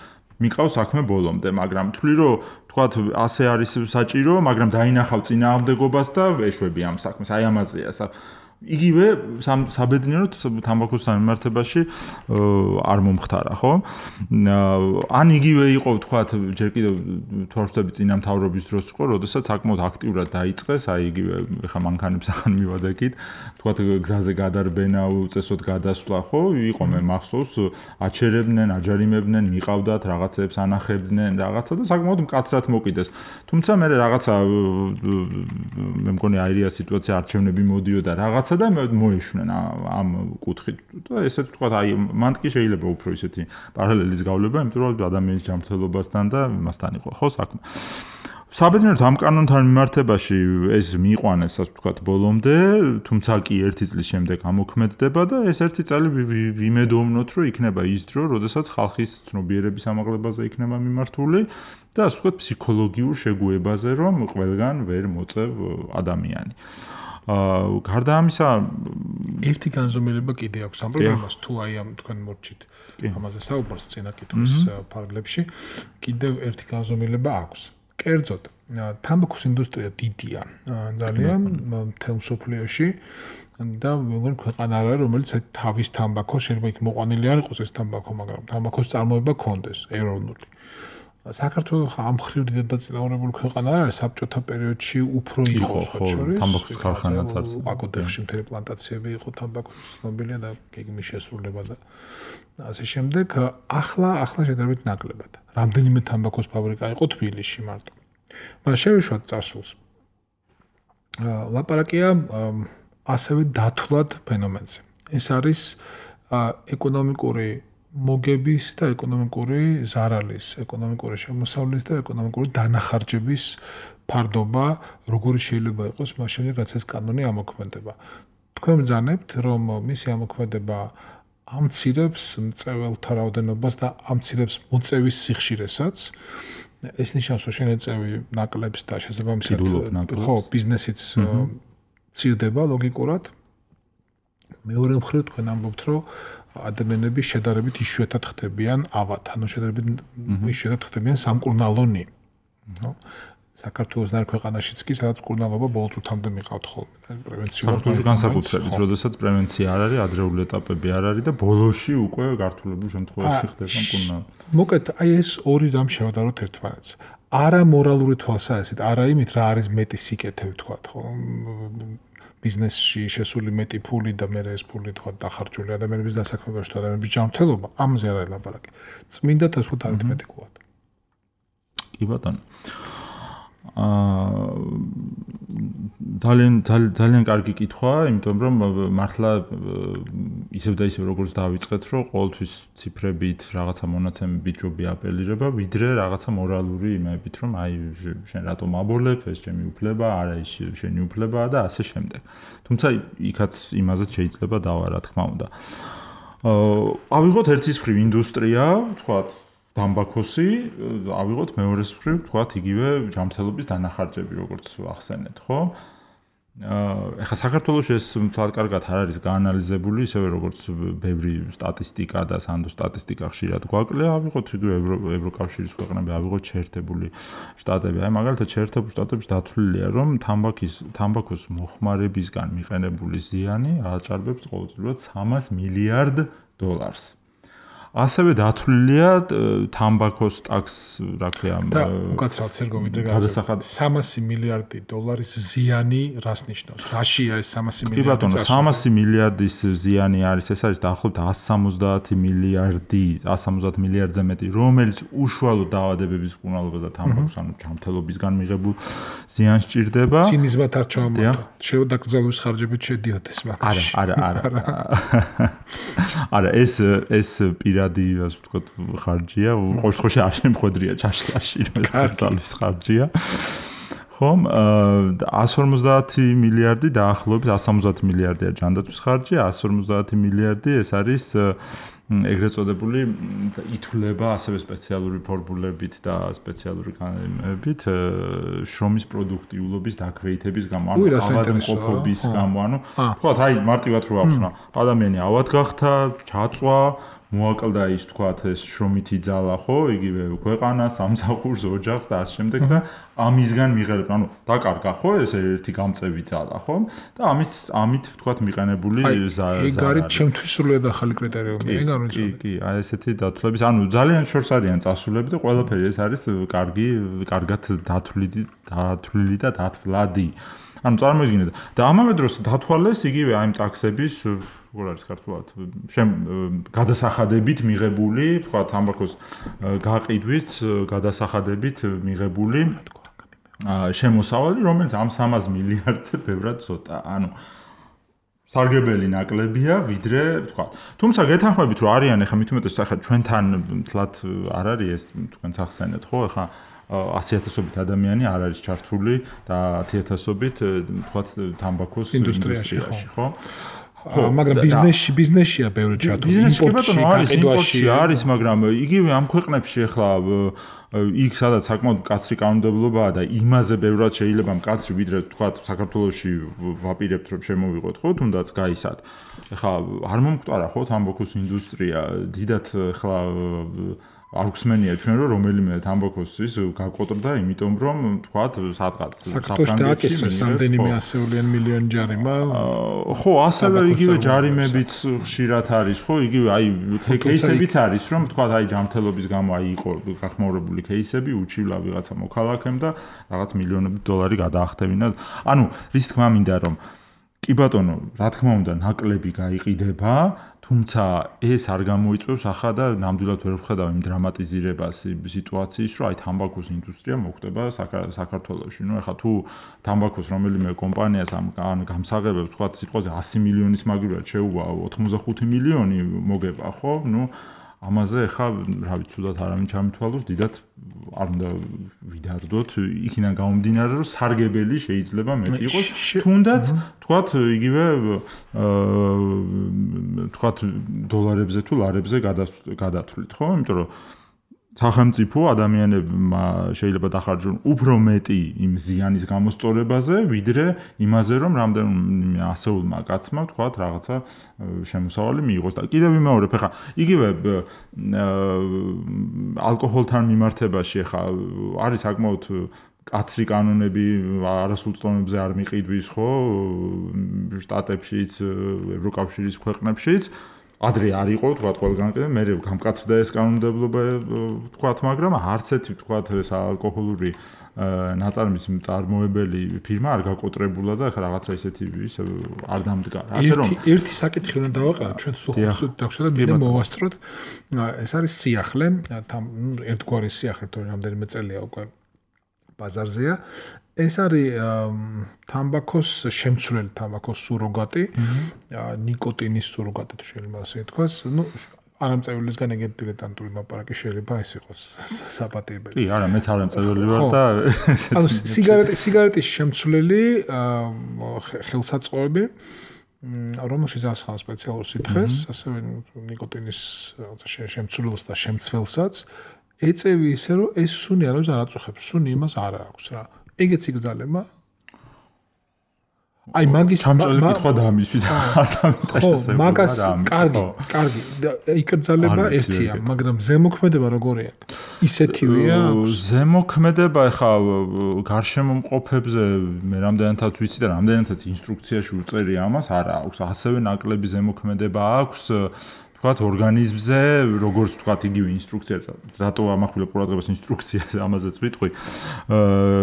მიყავს საქმე ბოლომდე მაგრამ თვლი რომ თქვათ ასე არის საჭირო მაგრამ დაინახავ წინააღმდეგობას და ეშვები ამ საქმეს აი ამაზეა იგივე საბედნიეროდ თამბაქოსთან მიმართებაში არ მომხდარა, ხო? ან იგივე იყო, თქვათ, ჯერ კიდევ თორშტები წინა მთავრობის დროს იყო, როდესაც საკმაოდ აქტიურად დაიწყეს, აი იგივე ხა მანქანებს ახან მივადექით, თქვათ, გზაზე გადარბენა, უწესოდ გადასვლა, ხო? იყო მე მახსოვს, აჩერებდნენ, აჯარიმებდნენ, მიყავდათ, რაღაცებს ანახებდნენ, რაღაცა და საკმაოდ მკაცრად მოკიდეს. თუმცა მე რაღაცა მე მგონი აირია სიტუაცია არჩევნები მოდიოდა რაღაცა და მოეშვნენ ამ კუთხით და ესეც თქვა აი მან კი შეიძლება უფრო ისეთი პარალელის გავლება, იმიტომ რომ ადამიანის ჯანმრთელობასთან და მასთან იყო ხო საქმე. საბედნიეროდ ამ კანონთან მიმართებაში ეს მიიყვანეს, ასე ვთქვათ, ბოლომდე, თუმცა კი ერთი წლის შემდეგ ამოქმედდება და ეს ერთი წელი ვიმედოვნოთ, რომ იქნება ის დრო, როდესაც ხალხის ცნობიერების ამაღლებაზე იქნება მიმართული და ასე ვთქვათ, ფსიქოლოგიურ შეგუებაზე, რომ ყველგან ვერ მოწევ ადამიანი. აა გარდა ამისა ერთი განზომილება კიდე აქვს ამ პრობლემას თუ აი ამ თქვენ მორჩით ამაზე საუბარს წინა კითხვის პარალელებში კიდევ ერთი განზომილება აქვს. კერძოდ თამბაქოს ინდუსტრია დიდია ძალიან მთელ მსოფლიოში და მეგონი ქვეყანა არა რომელიც თავის თამბაქოს შეიძლება იქ მოყვანილი არ იყოს ეს თამბაქო მაგრამ თამბაქოს წარმოება ქონდეს ეროვნული. საქართველოს ამ ხრივ დიდად დაწინაურებული ქვეყანა არ არის საბჭოთა პერიოდში უფრო იყო სხვა შორის თამბაქოს ქარხანაც არის აკოდეხში მთელი პლანტაციები იყო თამბაქოს ცნობილია და გეგმის შესრულება და ასე შემდეგ ახლა ახლა შედარებით ნაკლებად რამდენიმე თამბაქოს ფაბრიკა იყო თბილისში მარტო მაგრამ შევიშვათ წარსულს ლაპარაკია ასევე დათვლად ფენომენზე ეს არის ეკონომიკური მოგების და ეკონომიკური ზარალის, ეკონომიკური შემოსავლის და ეკონომიკური დანახარჯების ფარდობა, როგორი შეიძლება იყოს მას შემდეგ, რაც ეს კანონი ამოქმედება. თქვენ ბრძანებთ, რომ მისი ამოქმედება ამცირებს მწეველთა რაოდენობას და ამცირებს მოწევის სიხშირესაც. ეს ნიშნავს, რომ შენეწევი ნაკლებს და შესაბამისად ხო, ბიზნესიც მცირდება ლოგიკურად. მეორე მხრივ თქვენ ამბობთ, რომ ადამიანები შედარებით იშვიათად ხდებიან ავად, ანუ შედარებით იშვიათად ხდებიან სამკურნალონი. ხო? საქართველოს ნარ ქვეყანაშიც კი სადაც კურნალობა ბოლო წუთამდე მიყავთ ხოლმე. პრევენციულად განსაკუთრებით, როდესაც პრევენცია არ არის, ადრეული ეტაპები არ არის და ბოლოში უკვე გართულებული შემთხვევაში ხდება კურნალობა. მოკეთ, აი ეს ორი რამ შევადაროთ ერთმანეთს. არა მორალური თვალსაზრისით, არა იმით რა არის მეტი სიკეთე ვთქვათ, ხო? ბიზნესში შესული მეტი ფული და მე ეს ფული თქვა დახარჯული ადამიანების დასაქმებაში თუ ადამიანების ჯანმრთელობა, ამაზე არ არის ლაპარაკი. წმინდა თავს ვთქვათ არითმეტიკულად. კი ბატონო. აა ძალიან ძალიან კარგი კითხვა, იმიტომ რომ მართლა ისევ და ისევ როგორც დავიწყეთ, რომ ყოველთვის ციფრებით რაღაცა მონაცემებით ჯობია აპელირება, ვიდრე რაღაცა მორალური იმებით, რომ აი შენ რატომ აბოლებ, ეს ჩემი უფლება, არა ის შენი უფლებაა და ასე შემდეგ. თუმცა იქაც იმაზეც შეიძლება დავა, რა თქმა უნდა. აა ავიღოთ ერთის მხრივ ინდუსტრია, თქვათ თამბაქოსი, ავიღოთ მეორეს მხრივ, თქვათ იგივე ჯანმრთელობის დანახარჯები, როგორც ახსენეთ, ხო? აა ეხლა საქართველოში ეს თვალ კარგად არ არის გაანალიზებული, ისევე როგორც ბევრი სტატისტიკა და სანდო სტატისტიკა ხშირად გვაკლია, ავიღოთ იგივე ევროკავშირის ქვეყნები, ავიღოთ შეერთებული შტატები. აი მაგალითად შეერთებულ შტატებში დათვლილია, რომ თამბაქის თამბაქოს მოხმარებისგან მიყენებული ზიანი ააჭარბებს ყოველწლიურად სამას მილიარდ დოლარს. ასევე დათვლილია თამბაქოს ტაქს, რა ქვია, და უკაცრავად სერგო ვიდრე გადასახად სამასი მილიარდი დოლარის ზიანი რას ნიშნავს? რაშია ეს სამასი მილიარდი? კი ბატონო, სამასი მილიარდის ზიანი არის, ეს არის დაახლოებით εκατს სამოცდაათი მილიარდი, εκατს სამოცდაათი მილიარდზე მეტი, რომელიც უშუალო დაავადებების მკურნალობას და თამბაქოს, ანუ ჯანმრთელობისგან მიღებულ ზიანს ჭირდება. ცინიზმად არ ჩავამართოთ. შევდაკრძალვის ხარჯებით შედიოდეს მაგაში. არა, არა, არა. არა, ეს ეს პირა რადი ასე ვთქვათ ხარჯია, ყოველ შემთხვევაში არ შემხვედრია ჩაშლაში, რომ ეს ძალის ხარჯია. ხომ, εκατს ორმოცდაათი მილიარდი დაახლოებით εκατს სამოცდაათი მილიარდია ჯანდაცვის ხარჯი, εκατს ორმოცდაათი მილიარდი ეს არის ეგრეთ წოდებული ითვლება ასევე სპეციალური ფორმულებით და სპეციალური განმებით შრომის პროდუქტიულობის დაქვეითების გამო, ანუ ავადმყოფობის გამო, ანუ თქვათ აი მარტივად რო ახსნა, ადამიანი ავად გახდა, ჩაწვა მოაკლდა ის თქვათ ეს შრომითი ძალა, ხო, იგივე ქვეყანას, სამსახურს, ოჯახს და ასე შემდეგ და ამისგან მიღება, ანუ დაკარგა, ხო, ეს ერთი გამწევი ძალა, ხო? და ამით ამით თქვათ მიყენებული ზაარი. ეგ არის ჩემთვის სრულად ახალი კრიტერიუმი, ეგ არ ვიცი. კი, კი, აი ესეთი დათვლების, ანუ ძალიან შორს არიან წასულები და ყველაფერი ეს არის კარგი, კარგად დათვლილი, დათვლილი და დათვლადი. ანუ წარმოიდგინეთ და ამავე დროს დათვალეს იგივე აი ამ ტაქსების როგორ არის ქართულად შემ გადასახადებით მიღებული, თქვა თამბაქოს გაყიდვით, გადასახადებით მიღებული შემოსავალი, რომელიც ამ სამას მილიარდზე ბევრად ცოტა. ანუ სარგებელი ნაკლებია, ვიდრე, თქვა. თუმცა გეთანხმებით, რომ არიან ახლა მით უმეტეს ახლა ჩვენთან თლათ არ არის ეს თქვენც ახსენეთ, ხო? ახლა ასი ათასობით ადამიანი არ არის ჩართული და ათი ათასობით თქვათ თამბაქოს ინდუსტრიაში, ხო? ხო, მაგრამ ბიზნესში, ბიზნესშია ბევრი ჩართული, იმპორტში, გაყიდვაში არის, მაგრამ იგივე ამ ქვეყნებში ახლა იქ სადაც საკმაოდ კაცრი კანონმდებლობაა და იმაზე ბევრად შეიძლება მკაცრი, ვიდრე თქვათ საქართველოში ვაპირებთ რომ შემოვიღოთ, ხო, თუნდაც გაისად. ახლა არ მომკვდარა ხო თამბაქოს ინდუსტრია, დიდად ახლა არ გსმენია ჩვენ რომ რომელიმე თამბაქოს ის გაკოტრდა, იმიტომ რომ თქვათ სადღაც საქართველოს დააკისრეს რამდენიმე ასეულიან მილიონი ჯარიმა. ხო, ასევე იგივე ჯარიმებიც ხშირად არის, ხო, იგივე აი კეისებიც არის, რომ თქვათ აი ჯანმრთელობის გამო აი იყო გახმაურებული კეისები, უჩივლა ვიღაცა მოქალაქემ და რაღაც მილიონობით დოლარი გადაახტევინა. ანუ რის თქმა მინდა რომ კი ბატონო, რა თქმა უნდა, ნაკლები გაიყიდება, თუმცა ეს არ გამოიწვევს ახლა და ნამდვილად ვერ ვხედავ იმ დრამატიზირებას სიტუაციის, რომ აი თამბაქოს ინდუსტრია მოხდება საქართველოში. ნუ ახლა თუ თამბაქოს რომელიმე კომპანიას ამ გამსაღებებს თქვათ სიტყვაზე ასი მილიონის მაგივრად შეუვა ოთხმოცდახუთი მილიონი მოგება, ხო? ნუ ამაზე ხა რა ვიცი თუდად არავინ ჩამithვალოს დიდად არ უნდა ვიდარდოთ იქიდან გამომდინარე რომ სარგებელი შეიძლება მეტი იყოს თუნდაც თქვათ იგივე თქვათ დოლარებზე თუ ლარებზე გადათვლით ხო იმიტომ რომ სახელმწიფო ადამიანებმა შეიძლება დახარჯონ უფრო მეტი იმ ზიანის გამოსწორებაზე, ვიდრე იმაზე, რომ რამდენიმე ასეულმა კაცმა თქვათ რაღაცა შემოსავალი მიიღოს. და კიდევ ვიმეორებ, ხა იგივე ალკოჰოლთან მიმართებაში ხა არის საკმაოდ კაცრი კანონები არასრულწლოვანებზე არ მიყიდვის, ხო, შტატებშიც, ევროკავშირის ქვეყნებშიც. ადრე არ იყო, თქვათ, ყველგან კიდე მე გამკაცდა ეს კანონმდებლობა, თქვათ, მაგრამ არც ერთი, თქვათ, ეს ალკოჰოლური ნაწარმის მწარმოებელი ფირმა არ გაკოტრებულა და ახლა რაღაცა ისეთი ის არ დამდგა. ასე რომ ერთი საკითხი უნდა დავაყენოთ, ჩვენ სულ დაგვშვა და მინდა მოვასწროთ. ეს არის სიახლე, ერთგვარი სიახლე, თორემ რამდენიმე წელია უკვე ბაზარზეა. ეს არის თამბაქოს შემცვლელი თამბაქოს სუროგატი, ნიკოტინის სუროგატი თუ შეიძლება ასე ითქვას. ნუ არამწევილისგან ეგეთი დილეტანტური ლაპარაკი შეიძლება ეს იყოს საპატიებელი. კი, არა, მეც არამწევილი ვარ და ანუ სიგარეტი სიგარეტის შემცვლელი ხელსაწყოები რომელშიც ასხავს სპეციალურ სითხეს, ასევე ნიკოტინის შემცვლელს და შემცველსაც ეწევი ისე რომ ეს სუნი არავის არ აწუხებს, სუნი იმას არ აქვს რა. ეგეც იგრძალება. აი მაგის სამწელი კითხვა დამიშვით არ დამინტერესებს. ხო, მაგას კარგი, კარგი. იგრძალება ერთია, მაგრამ ზემოქმედება როგორია? ისეთივეა? ზემოქმედება ხა გარშემო მყოფებზე მე რამდენადაც ვიცი და რამდენადაც ინსტრუქციაში უწერია ამას, არა აქვს. ასევე ნაკლები ზემოქმედება აქვს თქვათ ორგანიზმზე, როგორც თქვათ იგივე ინსტრუქცია, რატო ამახვილა ყურადღებას ინსტრუქციაზე, ამაზეც ვიტყვი,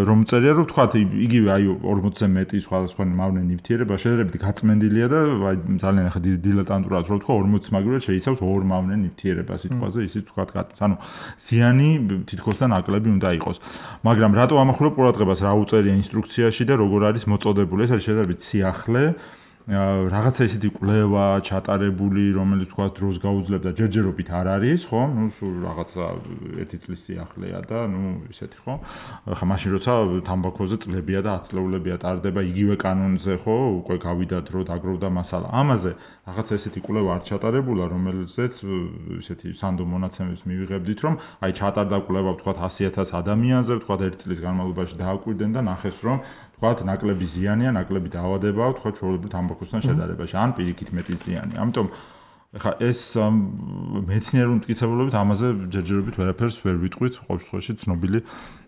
რომ წერია, რომ თქვათ იგივე აი ორმოცზე მეტი სხვადასხვა მავნე ნივთიერება შეძლებითი გაწმენდილია და აი ძალიან ახლა დილეტანტურად რო თქვა ორმოცი მაგალითად შეიცავს ორ მავნე ნივთიერებას სიტყვაზე, ისიც თქვათ გაწ. ანუ ზიანი თითქოს და ნაკლები უნდა იყოს. მაგრამ რატო ამახვილა ყურადღებას რა უწერია ინსტრუქციაში და როგორ არის მოწოდებული, ეს არის შეძლებითი სიახლე. რაღაცა ისეთი კვლევა ჩატარებული, რომელიც თქვა დროს გაუძლებდა ჯერჯერობით არ არის, ხო? ნუ სულ რაღაცა ერთი წლის სიახლეა და ნუ ისეთი, ხო? ხა მაშინ როცა თამბაქოზე წლებია და ათწლეულებია ტარდება იგივე კანონზე, ხო? უკვე გავიდა დრო დაგროვდა მასალა. ამაზე რაღაცა ესეთი კვლევა არ ჩატარებულა, რომელზეც ისეთი სანდო მონაცემებს მივიღებდით, რომ აი ჩატარდა კვლევა, თქვა ასი ათას ადამიანზე, თქვა ერთი წლის განმავლობაში დააკვირდნენ და ნახეს, რომ თქვათ ნაკლები ზიანია, ნაკლები დაავადებაა, თქვათ ჩვეულებრივ თამბაქოსთან შედარებაში, ან პირიქით მეტი ზიანი. ამიტომ ეხა ეს მეცნიერული მტკიცებულობით ამაზე ჯერჯერობით ვერაფერს ვერ ვიტყვით, ყოველ შემთხვევაში ცნობილი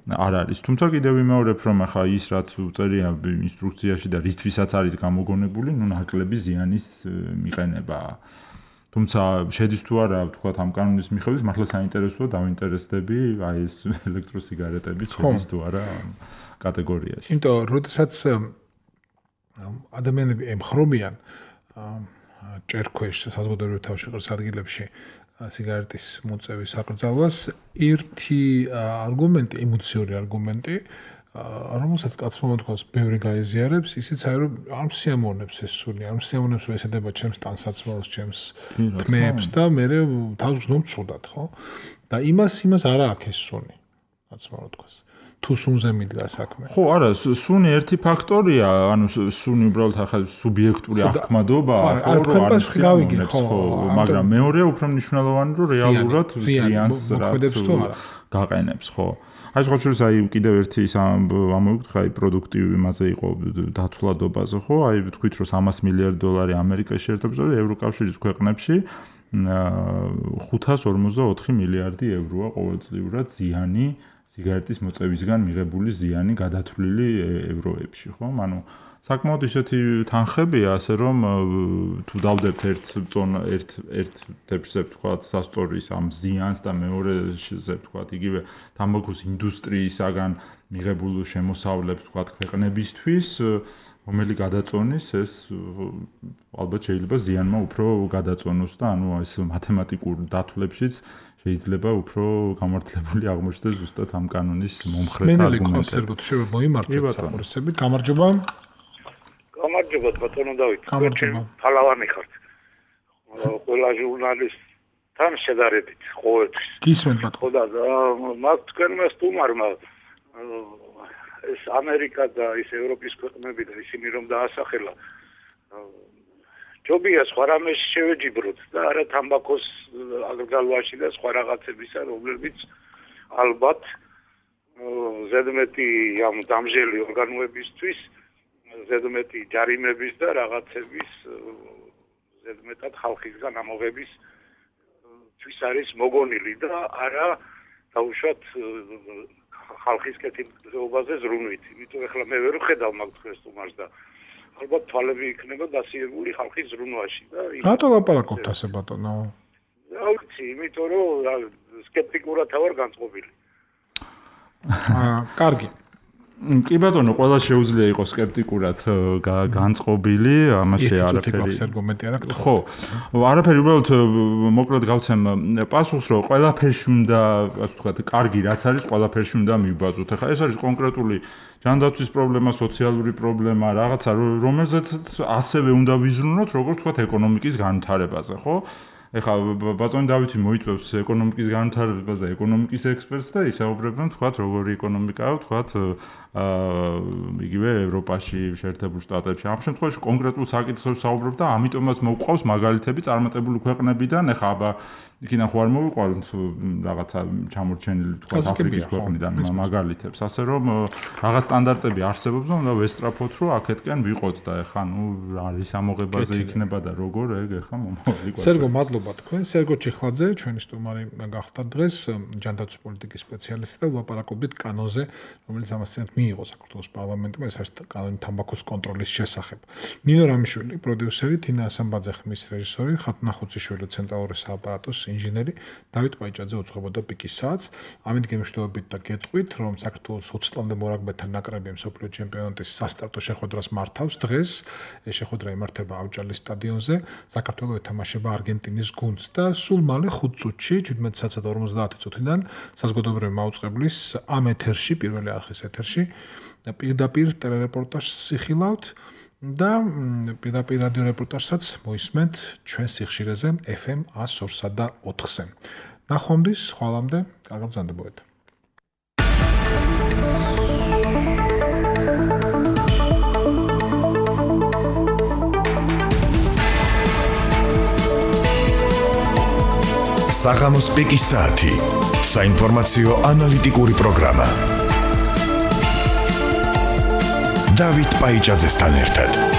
არ არის. თუმცა კიდევ ვიმეორებ, რომ ეხა ის რაც უწერია ინსტრუქციაში და რითვისაც არის გამოგონებული, ნუ ნაკლები ზიანის მიყენება. თუმცა შედის თუ არა, თქვათ ამ კანონის მიხედვით, მართლა საინტერესოა დავინტერესდები აი ეს ელექტროსიგარეტები შედის თუ არა კატეგორიაში. იმიტომ, როდესაც ადამიანები ემხრობიან ჭერქვეშ საზოგადოებრივ თავშეყრის ადგილებში სიგარეტის მოწევის საკრძალვას, ერთი არგუმენტი, ემოციური არგუმენტი, რომელსაც კაცმა მოთქვას, ბევრი გაეზიარებს, ისიც აი რომ არ მსიამოვნებს ეს სუნი, არ მსიამოვნებს რომ ესედება ჩემს ტანსაცმელს, ჩემს თმეებს და მე თავს გზნობ ცუდად, ხო? და იმას იმას არა აქვს ეს სუნი, კაცმა მოთქვას. თუ სუნზე მიდგა საქმე. ხო, არა, სუნი ერთი ფაქტორია, ანუ სუნი უბრალოდ ახლა სუბიექტური აღქმადობაა, ხო, რომ არ გავიგე, ხო, მაგრამ მეორეა უფრო მნიშვნელოვანი, რომ რეალურად ზიანს მოქმედებს თუ არა. გაყენებს, ხო. აი სხვა შორის აი კიდევ ერთი ის ამოვიქთ, აი პროდუქტივი იმაზე იყო დათვლადობაზე, ხო? აი ვთქვით, რომ სამას მილიარდი დოლარი ამერიკაში ერთობლივ ევროკავშირის ქვეყნებში ხუთას ორმოცდაოთხი მილიარდი ევროა ყოველწლიურად ზიანი სიგარეტის მოწევისგან მიღებული ზიანი გადათვლილი ევროებში, ხო? ანუ საკმაოდ ისეთი თანხებია, ასე რომ თუ დავდებთ ერთ ერთ ერთ თებშზე ვთქვათ სასწორის ამ ზიანს და მეორეზე ვთქვათ იგივე თამბაქოს ინდუსტრიისაგან მიღებულ შემოსავლებს ვთქვათ ქვეყნებისთვის, რომელი გადაწონის ეს ალბათ შეიძლება ზიანმა უფრო გადაწონოს და ანუ ეს მათემატიკურ დათვლებშიც შეიძლება უფრო გამართლებული აღმოჩნდეს ზუსტად ამ კანონის მომხრეთა არგუმენტები. სერგო, შეიძლება მოიმართოთ საფორისები. გამარჯობა. გამარჯობა ბატონო დავით. გამარჯობა. ფალავანი ხართ. ყველა ჟურნალისტ თან შედარებით ყოველთვის. გისმენთ ბატონო. ხო და მაგ თქვენმა სტუმარმა ეს ამერიკა და ის ევროპის ქვეყნები და ისინი რომ დაასახელა ჯობია სხვა რამეს შევეჯიბროთ და არა თამბაქოს აგრგალვაში და სხვა რაღაცებისა, რომლებიც ალბათ ზედმეტი ამ დამჟელი ორგანოებისთვის, ზედმეტი ჯარიმების და რაღაცების ზედმეტად ხალხისგან ამოღების თვის არის მოგონილი და არა დაუშვათ ხალხის კეთილდღეობაზე ზრუნვით. იმიტომ ახლა მე ვერ ვხედავ მაგ თქვენს სტუმარს და ალბათ თვალები იქნება დასიებული ხალხის ზრუნვაში და რატო ლაპარაკობთ ასე ბატონო? რა ვიცი, იმიტომ რომ სკეპტიკურად ვარ განწყობილი. აა, კარგი. კი ბატონო, ყველა შეუძლია იყოს სკეპტიკურად განწყობილი, ამაში არაფერი. ხო, არაფერი, უბრალოდ მოკლედ გავცემ პასუხს, რომ ყველაფერში უნდა, ასე ვთქვათ, კარგი რაც არის, ყველაფერში უნდა მივბაძოთ. ახლა ეს არის კონკრეტული ჯანდაცვის პრობლემა, სოციალური პრობლემა, რაღაცა, რომელზეც ასევე უნდა ვიზრუნოთ, როგორც ვთქვათ, ეკონომიკის განვითარებაზე, ხო? ეხლა ბატონი დავითი მოიწვევს ეკონომიკის განვითარებას და ეკონომიკის ექსპერტს და ისაუბრებენ თქვათ როგორი ეკონომიკაა თქვათ აა იგივე ევროპაში, შეერთებულ შტატებში. ამ შემთხვევაში კონკრეტულ საკითხებს საუბრობ და ამიტომაც მოვყავს მაგალითები წარმატებული ქვეყნებიდან. ეხლა აბა იქიდან ხო არ მოვიყვანთ რაღაცა ჩამორჩენილი თქვათ აფრიკის ქვეყნიდან მაგალითებს. ასე რომ რაღაც სტანდარტები არსებობს და უნდა ვესწრაფოთ რომ აქეთკენ ვიყოთ და ეხლა ნუ არის ამოღებაზე იქნება და როგორ ეგ ეხლა მომავალი გვაქვს. სერგო მადლობა თქვენ. სერგო ჩიხლაძე, ჩვენი სტუმარი გახდა დღეს, ჯანდაცვის პოლიტიკის სპეციალისტი და ვლაპარაკობდით კანონზე, რომელიც ამასთანავე მიიღო საქართველოს პარლამენტმა, ეს არის კანონი თამბაქოს კონტროლის შესახებ. ნინო რამიშვილი, პროდიუსერი, თინა ასამბაძე ხმის რეჟისორი, ხათუნა ხუციშვილი, ცენტრალური სააპარატოს ინჟინერი, დავით პაიჭაძე უძღვებოდა პიკის საათს. ამით გემშვიდობებით და გეტყვით, რომ საქართველოს ოცდაათამდე მორაგბეთა ნაკრები მსოფლიო ჩემპიონატის სასტარტო შეხვედრას მართავს დღეს. ეს შეხვედრა იმართება ავჭალის სტადიონზე. საქართველოს ეთამაშება არგენტინის გუნდს და სულ მალე ხუთ წუთში, შვიდმეტი საათსა და ორმოცდაათი წუთიდან საზოგადოებრივი მაუწყებლის ამ ეთერში, პირველი არხის ეთერში პირდაპირ ტელერეპორტაჟს იხილავთ და პირდაპირ რადიო რეპორტაჟსაც მოისმენთ ჩვენ სიხშირეზე ეფ ემ ას ორსა და ოთხზე. ნახვამდის, ხვალამდე, კარგად ბრძანდებოდეთ. საღამოს პიკის საათი. საინფორმაციო ანალიტიკური პროგრამა. დავით პაიჭაძესთან ერთად.